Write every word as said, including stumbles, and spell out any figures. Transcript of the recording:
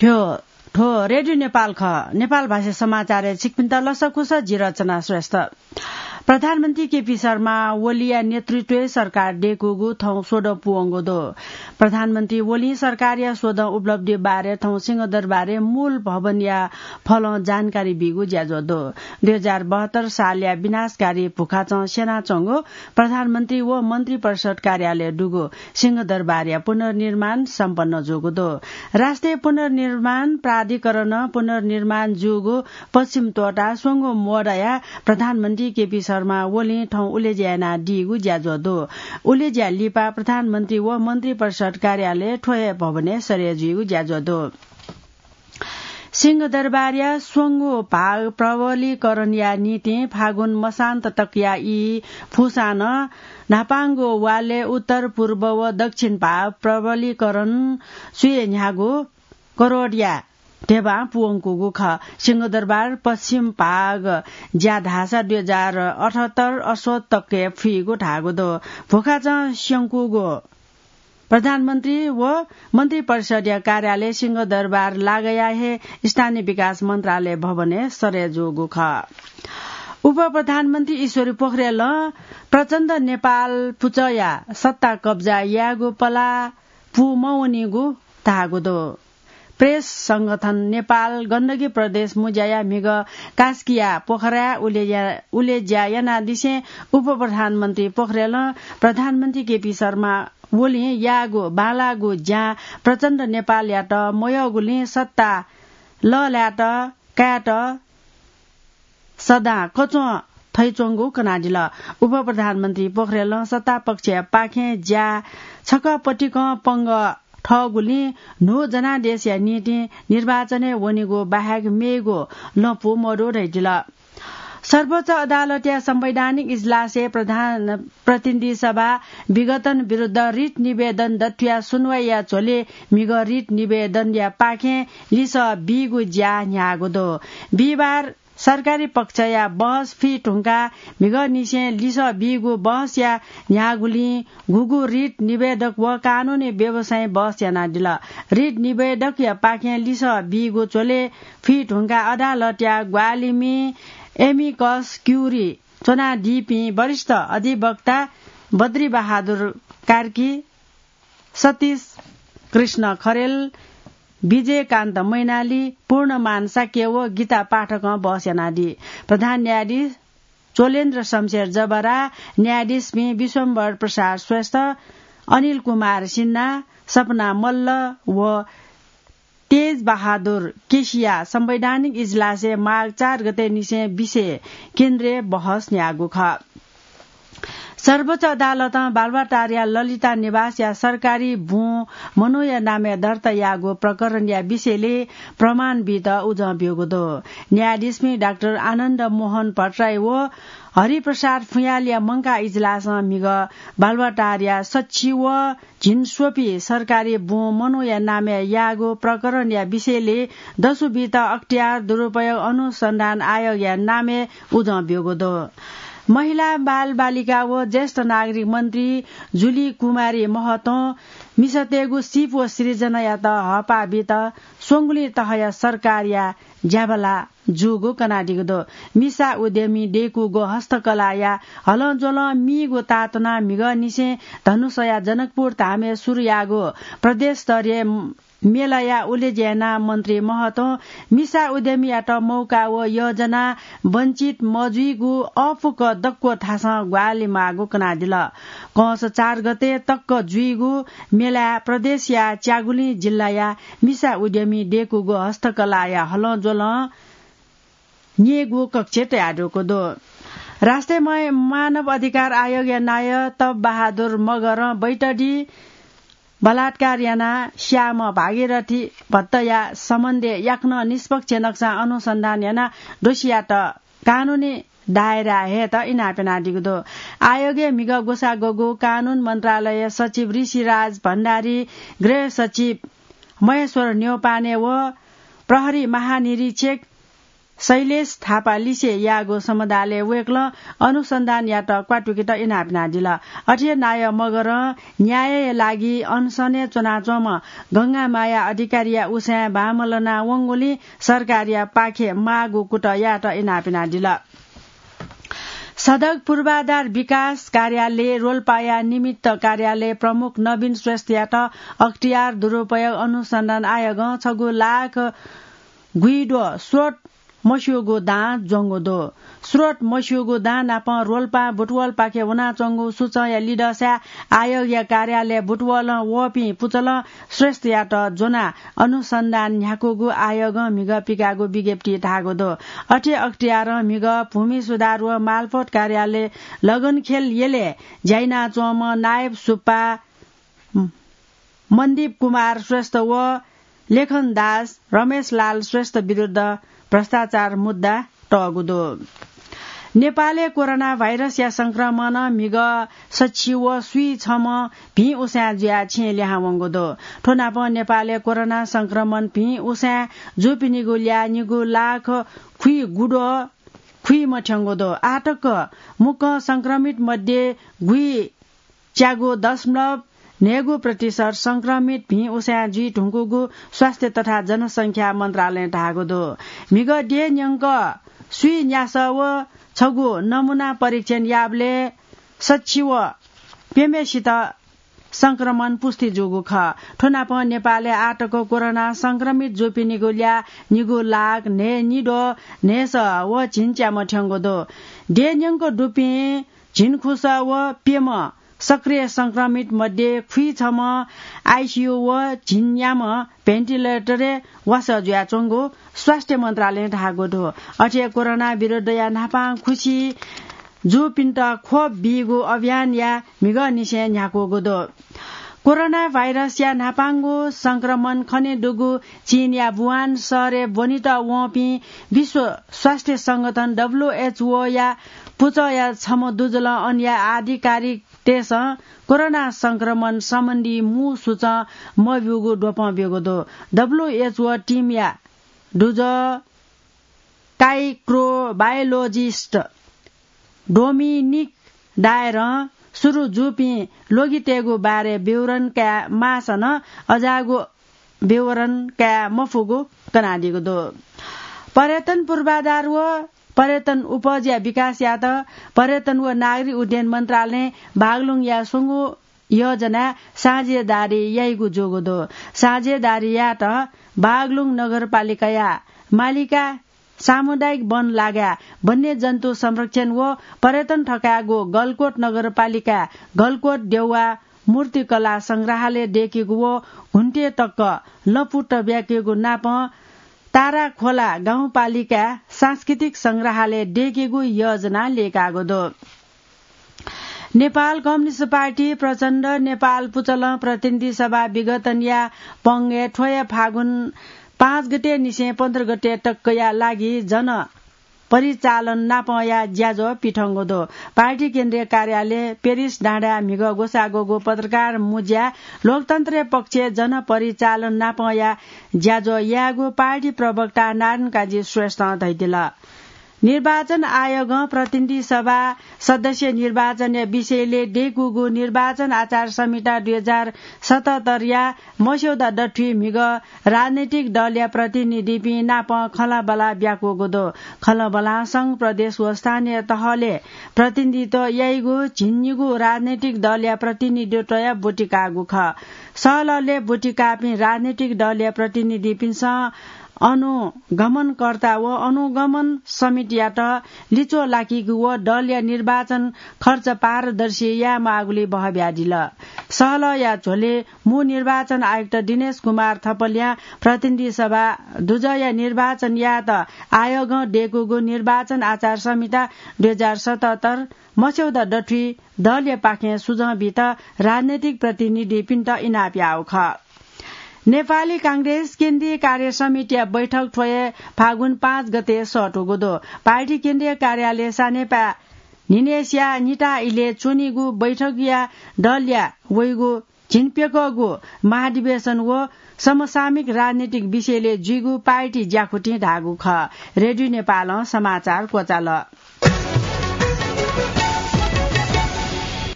थ्व, थ्व रेडियो नेपाल खः। नेपाल भाषा समाचारय् छिकपिन्त लसकुस, जि रचना श्रेष्ठ। प्रधानमन्त्री केपी शर्मा ओलीया नेतृत्वय् सरकार दय्कूगु थौं स्वदँ पूवंगु दु। प्रधानमन्त्री ओलीं सरकारया स्वदँ उपलब्धि बारे थौं सिंहदरबारय् मूल भवनया फलं जानकारी बीगु ज्याझ्वः दु। दुई हजार बहत्तर सालया विनाशकारी भुखाचं स्यनाच्वंगु प्रधानमन्त्री व मन्त्रिपरिषद कार्यालय दुगु सिंहदरबारया पुनर्निर्माण सम्पन्न जूगु दु। राष्ट्रिय पुनर्निर्माण प्राधिकरणं पुनर्निर्माण जूगु पश्चिम तोटा स्वंगू मोडया प्रधानमन्त्री केपी शर्मा ओलीं थौं उलेज्या यानादीगु ज्याझ्वः दु। उलेज्या लिपा प्रधानमन्त्री व मन्त्रिपरिषद कार्यालय थ्व हे भवनय् सरे जुइगु ज्याझ्वः दु। सिंहदरबारया स्वंगू भाग प्रबलीकरणया निंतिं फागुन मसान्त तकया ई फुसां नं न्हापांगु वालय् उत्तर, पूर्व व दक्षिण भाग प्रबलीकरण स्वये न्ह्यागु करोडया ध्यबां पूवंकूगु खः। सिंहदरबार पश्चिम भाग ज्या धाःसा दुई हजार अठहत्तर असोज तकय् फुइगु धाःगु दु। भुखाचं स्यंकूगु प्रधानमन्त्री व मन्त्रिपरिषदया कार्यालय सिंहदरबार लागया हे स्थानीय विकास मन्त्रालय भवनय् सरे जूगु खः। उपप्रधानमन्त्री ईश्वरी पोखरेलं प्रचण्ड नेपाल पुचःया सत्ता कब्जा यायेगु पलाः पूमवनीगु धाःगु दु। प्रेस संगठन नेपाल गण्डकी प्रदेश मुज्याया म्हिगः कास्कीया पोखराय् उलेज्या, उलेज्या यानादिसें उपप्रधानमन्त्री पोखरेलं प्रधानमन्त्री केपी शर्मा ओलीं याःगु बांलाःगु ज्यां प्रचण्ड नेपालयात मयःगुलिं सत्ता लःल्हायेत कायेत सदां कच्वं थइच्वंगु कनादिल। उपप्रधानमन्त्री पोखरेलं सत्तापक्षया पाखें ज्या छकः पतिकं पंगः थःगुलिं न्हू जनादेशया निंतिं निर्वाचनय् वनेगु बाहेक मेगु लँपु मदु धयादिल। सर्वोच्च अदालतया संवैधानिक इजलासय् प्रधान प्रतिनिधि सभा विघटन विरुद्ध रिट निवेदन दथुया सुनवाईया झ्वलय् म्हिगः रिट निवेदनया पाखें लिसः बीगु ज्या न्ह्याःगु दु। बिहिबार सरकारी पक्षया बहस फुइ धुंकाः म्हिगःनिसें लिसः बीगु बहसया न्ह्याःगुलिं गुगु रिट निवेदक व कानूनी व्यवसायी बहस यानादिल। रिट निवेदकया पाखें लिसः बीगु झ्वलय् फुइ धुंकाः अदालतया ग्वाहालिमि एमिकस क्युरी च्वनादीपिं वरिष्ठ अधिवक्ता बद्री बहादुर कार्की, सतीश कृष्ण खरेल, विजयकान्त मैनाली, पूर्णमान शाक्य व गीता पाठकं बहस यानादी। प्रधान न्यायाधीश चोलेन्द्र शमशेर जबरा, न्यायाधीशपिं विश्वम्भर प्रसाद श्रेष्ठ, अनिल कुमार सिन्हा, सपना मल्ल व तेज बहादुर केसीया संवैधानिक इजलासय् माघ चार गते निसें विषय केन्द्रीय बहस न्ह्याःगु खः। सर्वोच्च अदालतं बालुवाटारया ललिता निवासया सरकारी बुँ मनूया नामय् दर्ता याःगु प्रकरणया विषयलय् प्रमाण बीत उजं ब्यूगु दु। न्यायाधीशपिं डाक्टर आनन्द मोहन भट्टराई व हरिप्रसाद फुयालया मंकाः इजलासं म्हिगः बालुवाटारया सच्छि व झिंस्वपि सरकारी बुँ मनूया नामय् याःगु प्रकरणया विषयलय् दसु बीत अख्तियार दुरुपयोग अनुसन्धान आयोगया नामय् उजं ब्यूगु दु। महिला, बालबालिका व ज्येष्ठ नागरिक मन्त्री जुली कुमारी महतों मिसातय्गु सिप व सिर्जनायात हःपाः बीत स्वंगुलिं तहया सरकारया ज्याबला जूगु कनादीगु दु। मिसा उद्यमी दय्कूगु हस्तकलाया हलंज्वलं मीगु ताःतुनाः म्हिगःनिसें धनुषाया जनकपुर धामय् सुरु याःगु प्रदेश स्तरीय मेलाया उलेज्या यानाः मन्त्री महतों मिसा उद्यमीयात मौका व योजना वञ्चित मजुइगु अःपुक दक्व थासं ग्वाहालि माःगु कनादिल। कंस चार गते तक जुइगु मेलाय् प्रदेशया च्यागुलिं जिल्लाया मिसा उद्यमी दय्कूगु हस्तकलाया हलंज्वलं न्येगू कक्ष तयादीगु दु। राष्ट्रिय मा-, मानव अधिकार आयोगया नायः तप बहादुर मगरं बैतडी बलात्कार यानाः स्याःम्ह भागीरथी भट्टया सम्बन्धय् याकनं निष्पक्ष नक्सां अनुसन्धान यानाः दोषीयात कानूनी दायराय् हयेत इनाप यानादीगु दु। आयोगय् म्हिगः ग्वसाः ग्वःगु कानून मन्त्रालय सचिव ऋषिराज भण्डारी, गृह सचिव महेश्वर न्यौपाने व प्रहरी महानिरीक्षक शैलेश थापा लिसे याःगु समदालय् वय्कलं अनुसन्धान यात क्वातुकेत इनाप यानादिल। अथे नायः मगरं न्यायया लागि अनसनय् च्वनाच्वंम्ह गंगामाया अधिकारीया उसाँय् बांमलना वंगुलिं सरकारया पाखे माःगु कुतः यात इनाप यानादिल। सडक पूर्वाधार विकास कार्यालय रोल्पाया निमित्त कार्यालय प्रमुख नवीन श्रेष्ठयात अख्तियार दुरुपयोग अनुसन्धान आयोगं छगू लाख गुइद्वः स्रोत मस्यूगु दां ज्वंगु दु। स्रोत मस्यूगु दां नाप रोल्पा बुटवलपाखे वनाच्वंगु सूचंया लिधंसाय् आयोगया कार्यालय बुटवलं वःपिं पुचलं श्रेष्ठयात ज्वनाः अनुसन्धान न्ह्याकूगु आयोगं म्हिगः पिकाःगु विज्ञप्तिइ धाःगु दु। अथे अख्तियारं म्हिगः भूमि सुधार व मालपोत कार्यालय लगनखेल यलय् ज्या यानाच्वंम्ह नायब सुब्बा, मन्दीप कुमार श्रेष्ठ व लेखन दास रमेशलाल श्रेष्ठ विरुद्ध भ्रष्टाचार मुद्दा तःगु दु। नेपालय् कोरोना भाइरसया संक्रमणं म्हिगः सछि व स्वीछम्ह भिं उसाँय् जुयाः छेँय् लिहां वंगु दु। थ्व नापं नेपालय् कोरोना संक्रमण भिं उसाँय् जूपिनिगु ल्याः निगू लाख खुइगुद्वः खुइम्ह थ्यंगु दु। आःतक मुक्कं संक्रमित मध्ये गुइच्यागू दशमलव न्हय्गू प्रतिशत संक्रमित भिं उसाँय् जुइ धुंकूगु स्वास्थ्य तथा जनसंख्या मन्त्रालयं धाःगु दु। म्हिगः देय् न्यंक स्वीन्यासः व छगू नमूना परीक्षण याःबलय् सछि व प्यम्हेसित संक्रमण पुष्टि जूगु खः। थ्व नाप नेपालय् आःतक कोरोना संक्रमित जूपिनिगु ल्याः निगू लाख न्हय्निद्वः न्हय्सः व झिंच्याम्ह थ्यंगु दु। देय् न्यंक दुपिं झिंखुसः व प्यम्ह सक्रिय संक्रमित मध्ये खुइछम्ह आइसियु व झिंन्याम्ह भेन्टिलेटरय् वासः जुयाच्वंगु स्वास्थ्य मन्त्रालयं धाःगु दु। अथे कोरोना विरुद्धया न्हापां खुसि जूपिन्त खोप बीगु अभियानया म्हिगःनिसें न्ह्याकूगु दु। कोरोना भाइरसया न्हापांगु संक्रमण खनेदुगु चीनया वुहान शहरय् ब्वनेत वंपिं विश्व स्वास्थ्य संगठन, डब्ल्युएचओया पुचःया छम्ह दुजलं अनया आधिकारिकतय्सं कोरोना संक्रमण सम्बन्धी मू सूचं मब्यूगु द्वपं ब्यूगु दु। डब्ल्युएचओ टिमया दुजः काइक्रोबायोलोजिस्ट डोमिनिक डायरं सुरु जूपिं ल्वगितय्गु बारे विवरण काये माःसा नं अज्याःगु विवरण काये मफुगु कनादीगु दु। पर्यटन पूर्वाधार व पर्यटन उपजया विकास यायेत पर्यटन व नागरिक उड्डयन मन्त्रालयं बागलुङया स्वंगू योजनाय् साझेदारी याइगु जूगु दु। साझेदारी यायेत बागलुङ नगरपालिकाया मालिका सामुदायिक वन लागाय् वन्यजन्तु संरक्षण व पर्यटन थकायेगु गलकोट नगरपालिकाय् गलकोट देउवा मूर्तिकला संग्रहालय दय्केगु व घुन्टे तक लँपु तब्याकेगु नापं ताराखोला गाउँपालिकाय् सांस्कृतिक संग्रहालय दय्केगु योजना ल्यय्कागु दु। नेपाल कम्युनिस्ट पार्टी प्रचण्ड नेपाल पुचलं प्रतिनिधि सभा विघटनया पंगय् थ्व हे फागुन पाँच गते निसें पन्ध्र गते तकया लागि जन परिचालन नापंया ज्याझ्वः पिथंगु दु। पार्टी केन्द्रीय कार्यालय पेरिस डाँडाय् म्हिगः ग्वसाः ग्वःगु पत्रकार मुँज्याय् लोकतन्त्रया पक्षय् जन परिचालन नापंया ज्याझ्वः यायेगु पार्टी प्रवक्ता नारायण काजी श्रेष्ठं धयादिल। निर्वाचन आयोगं प्रतिनिधि सभा सदस्य निर्वाचनया विषयलय् दय्कूगु निर्वाचन आचार संहिता दुई हजार सतहत्तरया मस्यौदा दथुइ म्हिगः राजनैतिक दलया प्रतिनिधिपिं नाप खँल्हाबल्हा ब्याकूगु दु। खँल्हाबल्हां संघ, प्रदेश व स्थानीय तहलय् प्रतिनिधित्व याइगु झिंनिगू राजनैतिक दलया प्रतिनिधित्वया ब्वति काःगु खः। सहलहलय् ब्वति काःपिं राजनैतिक दलया प्रतिनिधिपिन्सं अनुगमनकर्ता व अनुगमन समितियात लिच्वः लाकीगु व दलया निर्वाचन खर्च पारदर्शी यायेमाःगुली बहः बियादिल। सहलहया झ्वलय् मू निर्वाचन आयुक्त दिनेश कुमार थपलियां प्रतिनिधि सभा दुजःया निर्वाचन यायेत आयोगं दय्कूगु निर्वाचन आचार संहिता दुई हजार सतहत्तर मस्यौदा दथुइ दलयापाखें सुझाव बीत राजनैतिक प्रतिनिधिपिन्त इनाप याःगु खः। नेपाली कांग्रेस केन्द्रीय कार्य समितिया बैठक थ्व हे फागुन पाँच गते सःतूगु दु। पार्टी केन्द्रीय कार्यालय सानेपाय् न्हिनय्सिया निता इलय् च्वनीगु बैठकया दलया वइगु झिंप्यकःगु महाधिवेशन व समसामयिक राजनीतिक विषयलय् जुइगु पार्टी ज्याखुतिं धाःगु खः। रेडियो नेपालं समाचार क्वचाल।